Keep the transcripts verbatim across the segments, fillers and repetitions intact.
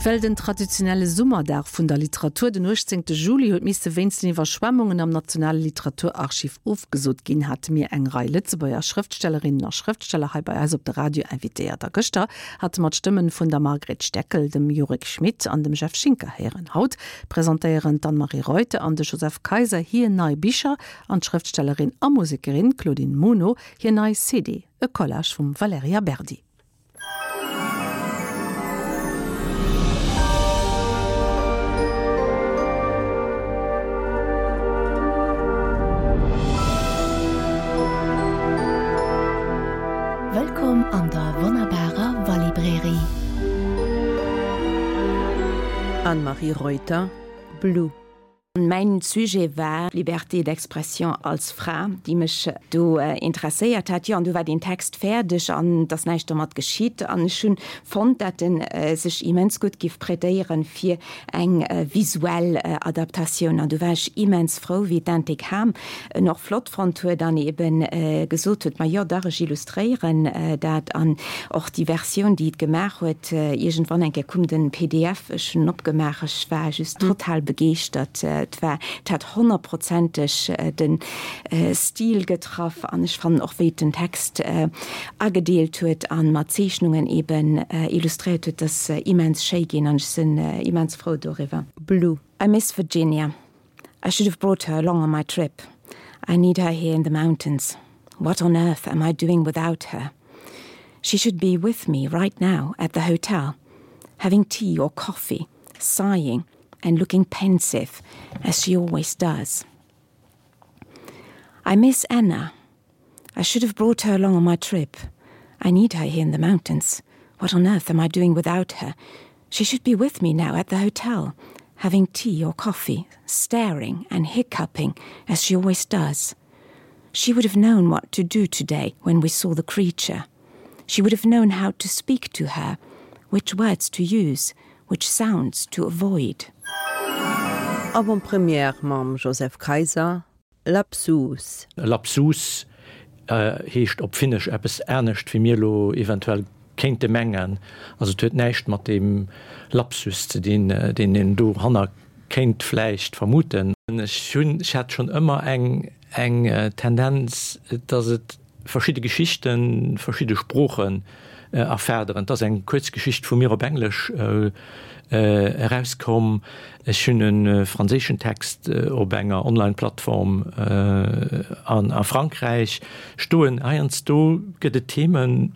Well den traditionelle Summerdag vun der Literatur den uechtzéngte Juli huet misse wéinst den Iwwerschwemmungen am Nationale Literaturarchiv ofgesot ginn, hate mir eng Rei Lëtzebuerger Schrëftstellerinnen a Schrëftsteller hei bei eis op de Radio invitéiert. A gëschter hate mer d'Stëmmen vun der Margret Steckel, dem Jurek Schmit an dem Jeff Schinker héieren. Haut presentéieren d'Anne-Marie Reuter an de Joseph Kayser hir nei Bicher an d'Schrëftstellerin a Musekerin Claudine Muno hir nei C D, e Collage vum Valerija Berdi. Wëllkomm an der wonnerbarer Walibrairie. Anne-Marie Reuter, Blue. Mäin Sujet war Liberté d'expression als Fra, déi mech do interesséiert hat. Jo, an du war deen Text fäerdeg an et ass näischt domat geschitt. An ech hunn fonnt, dat en sech immens gutt giff prêtéieren fir eng visuell Adaptatioun. An du war ech immens frou, wéi d'Intik Ham en och flott fonnt huet an eben gesot huet, ma jo, dach, ech illustréieren dat. An och déi Versioun, déi et gemaach huet, iergendwann eng Kéier koum den P D F, ech hunn en opgemaach, ech war just total begeeschtert. Et war, et hat honnertprozenteg den Stil getraff an ech fannen och wéi et den Text agedeelt huet an mat Zeechnungen eben illustréiert huet, ass immens schéi ginn an ech sinn immens frou doriwwer. Blue. I miss Virginia. I should have brought her along on my trip. I need her here in the mountains. What on earth am I doing without her? She should be with me right now at the hotel, having tea or coffee, sighing and looking pensive, as she always does. I miss Anna. I should have brought her along on my trip. I need her here in the mountains. What on earth am I doing without her? She should be with me now at the hotel, having tea or coffee, staring and hiccuping, as she always does. She would have known what to do today when we saw the creature. She would have known how to speak to her, which words to use, which sounds to avoid. Avant-première mam Joseph Kayser, Lapsus. Lapsus heescht op Finnesch eppes anescht wéi mir elo eventuell kéinte mengen. Also et huet näischt mat deem Lapsus ze dinn, deen een doranner kéint vläicht vermuten. Ech hunn, ech hat schonn ëmmer eng, eng Tendenz, datt et verschidde Geschichten, verschidde Sproochen erfaderen. Et ass eng Kuerzgeschicht vu mir op Englesch erauskomm. Ech hunn e franséischen Text op enger Online-Plattform a Frankräich stoen. Heiansdo gëtt et Themen,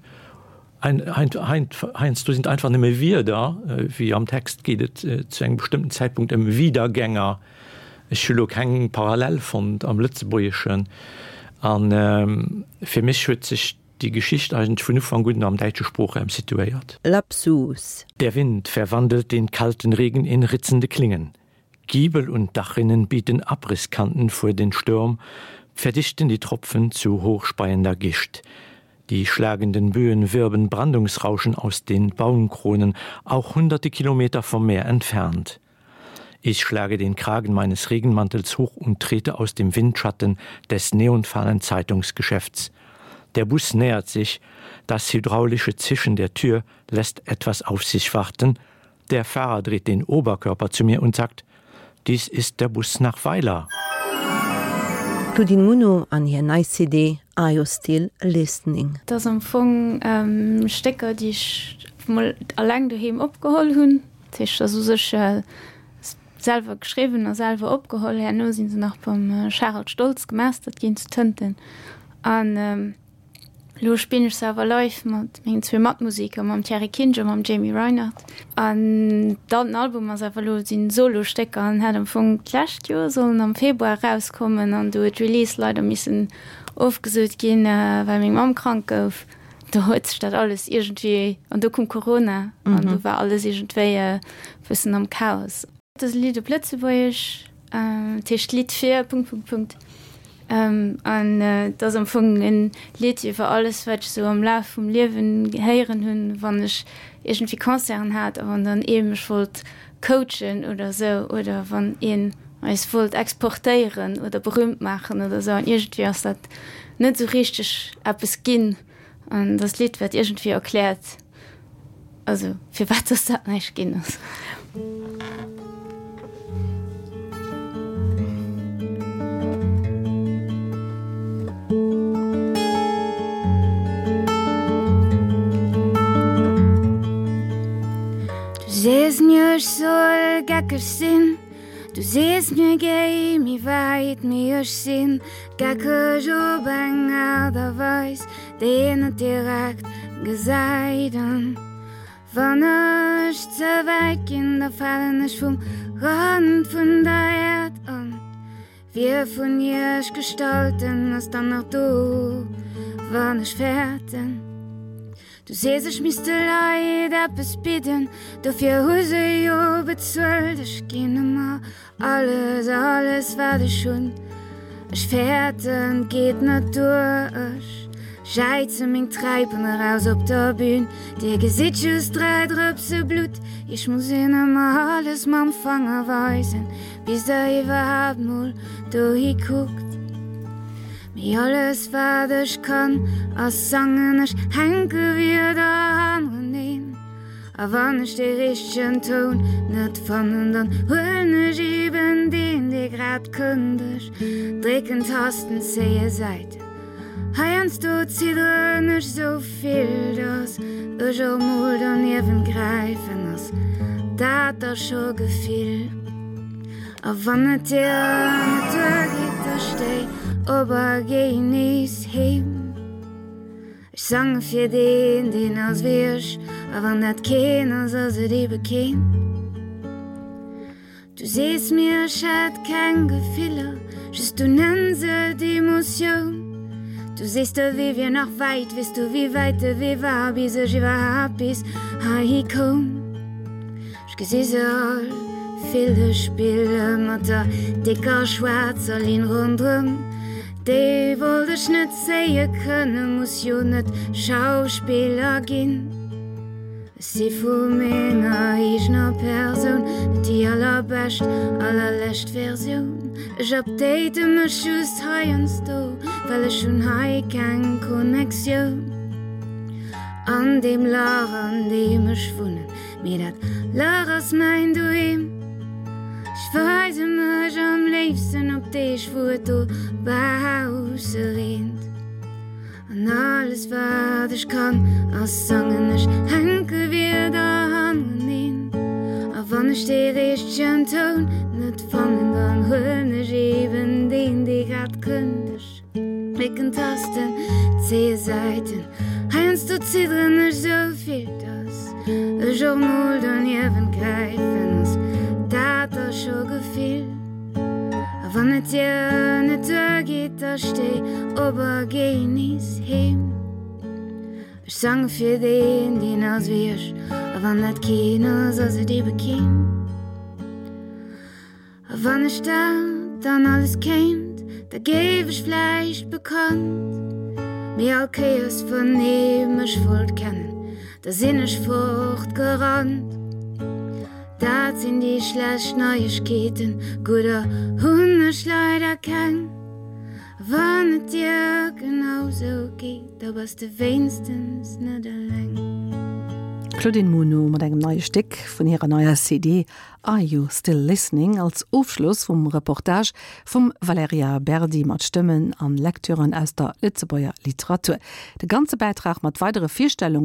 heiansdo sinn et einfach nëmme Wierder, wéi am Text geet et zu engem bestëmmten Zäitpunkt ëm Wiedergänger. Ech hu lo keng Parallel fonnt am Lëtzebuergeschen. A fir mech huet sech déi Geschicht eigentlech vun Ufank un am däitsche Sproochraum situéiert. Lapsus. Der Wind verwandelt den kalten Regen in ritzende Klingen. Giebel und Dachrinnen bieten Abrisskanten vor den Sturm, verdichten die Tropfen zu hochspeiender Gischt. Die schlagenden Böen wirbeln Brandungsrauschen aus den Baumkronen, auch hunderte Kilometer vom Meer entfernt. Ich schlage den Kragen meines Regenmantels hoch und trete aus dem Windschatten des neonfahlen Zeitungsgeschäfts. Der Bus nähert sich, das hydraulische Zischen der Tür lässt etwas auf sich warten. Der Fahrer dreht den Oberkörper zu mir und sagt: Dies ist der Bus nach Weiler. Claudine Muno an hir nei C D Are You Still Listening? Dat ass am Fong Stécker, déi ech mol alleng doheem opgeholl hunn. Dat heescht, dat ass u sech selwer geschriwwen a selwer opgeholl. Herno sinn se nach beim Charel Stoltz gemastert ginn zu Tënten. An elo spillen ech se awer live mat mengen zwee Matmusiker, mam Thierry Kinsch a mam Jamie Reinert. An dann den Album ass awer elo sinn Solostécker an hat am Fong d'lescht Joer sollen am Februar erauskommen an du huet d'Release leider missen ofgesot ginn, well meng Mamm krank gouf. Do huet sech dat alles iergendwéi, an do koum Corona an do war alles iergendwéi e bëssen am Chaos. Dat ass e Lidd op Lëtzebuergesch, dat heescht Lidd fir Punkt, Punkt, Punkt. An et ass am Fong en Lidd iwwer alles, wat ech sou am Laf vum Liewen héieren hunn, wann ech iergendwéi Concerten hat a wann dann ee mech wollt coachen oder sou oder wann een eis wollt exportéieren oder berühmt maachen oder sou. An iergendwéi ass dat net sou richteg eppes ginn. An dat Lidd, wat iergendwéi erkläert, Also firwat dass dat näischt ginn ass. Du sees mir ech soll geckeg sinn, du sees mir géi méi wäit, mee ech sinn geckeg op eng Aart a Weis, déi een net direkt gesäit. An wann ech ze wäit ginn, da falen ech vum Rand vun der Äerd. An wie vun iech Gestalten ass dann nach do, wann ech fäerten? Du sees ech misst de Leit eppes bidden, dofir hu se jo bezuelt. Ech ginn ëmmer alles, alles wat ech hunn. Ech fäerten, 't geet net duer. Ech jäize meng Träipen eraus op der Bühn. Dir gesitt just dräi Drëpse Blutt. Iech muss een ëmmer alles mam Fanger weisen, bis der iwwerhaapt mol dohi kuckt. Mee alles wat ech kann ass sangen, ech hänke Wierder hannereneen. A wann ech dee richtegen Toun net fannen, dann huelen ech eben deen, dee grad kënnt. Ech drécken Tasten, zéie Säiten, heiansdo zidderen ech sou vill, dass ech och mol derniewent gräifen. Ass dat da scho Gefill? A wann et dir net duergeet, da stéi op a géi nees heem. Ech sange fir deen, deen ass wéi ech, a wann dat keen ass, ass et ebe keen. Du sees mir, ech hätt keng Gefiller, just du nenns et Emotioun. Du sees, de Wee wier nach wäit, weess du wéi wäit de Wee war, bis ech iwwerhaapt bis heihi koum? Ech gesi se all, Fille spille mat der décker schwaarzer Linn ronderëm. Déi wollt ech net zéie kënnen, muss jo net Schauspiller ginn. Ech si vu menger eegener Persoun net déi allerbescht, allerlescht Versioun. Ech update mech just heiansdo, well ech hunn hei keng Connectioun. An deem Lach, an deem ech wunnen, mee dat Lach ass mäin Doheem. Ech weise mech am léifsten op Deeg, wou et dobausse reent. An alles wat ech kann ass sangen, ech hänke Wierder hannereneen. A wann ech dee richtegen Toun net fannen, dann huelen ech eben deen, dee grad kënnt. Ech drécken Tasten, zéie Säiten, heiansdo zidderen ech sou vill, dass ech och mol derniewent gräifen. Ass dat da scho Gefill? A wann et dir net duergeet, da stéi op a géi nees heem. Ech sange fir deen, deen ass wéi ech, a wann dat keen ass, ass et ebe keen. A wann ech dat dann alles kéint, da géif ech vläicht bekannt. Mee all Kéiers wann ee mech wollt kennen, da sinn ech fortgerannt. Dat sinn déi schlecht Neiegkeeten, gudder hunn ech leider keng. A wann et dir genau sou geet, da bass de wéinstens net eleng. D'Claudine Muno mat engem neie Stéck vun hirer neier C D Are You Still Listening als Ofschloss vum Reportage vum Valerija Berdi mat Stëmmen an Lektüren aus der Lëtzebuerger Literatur. De ganze Bäitrag mat weidere Virstellunge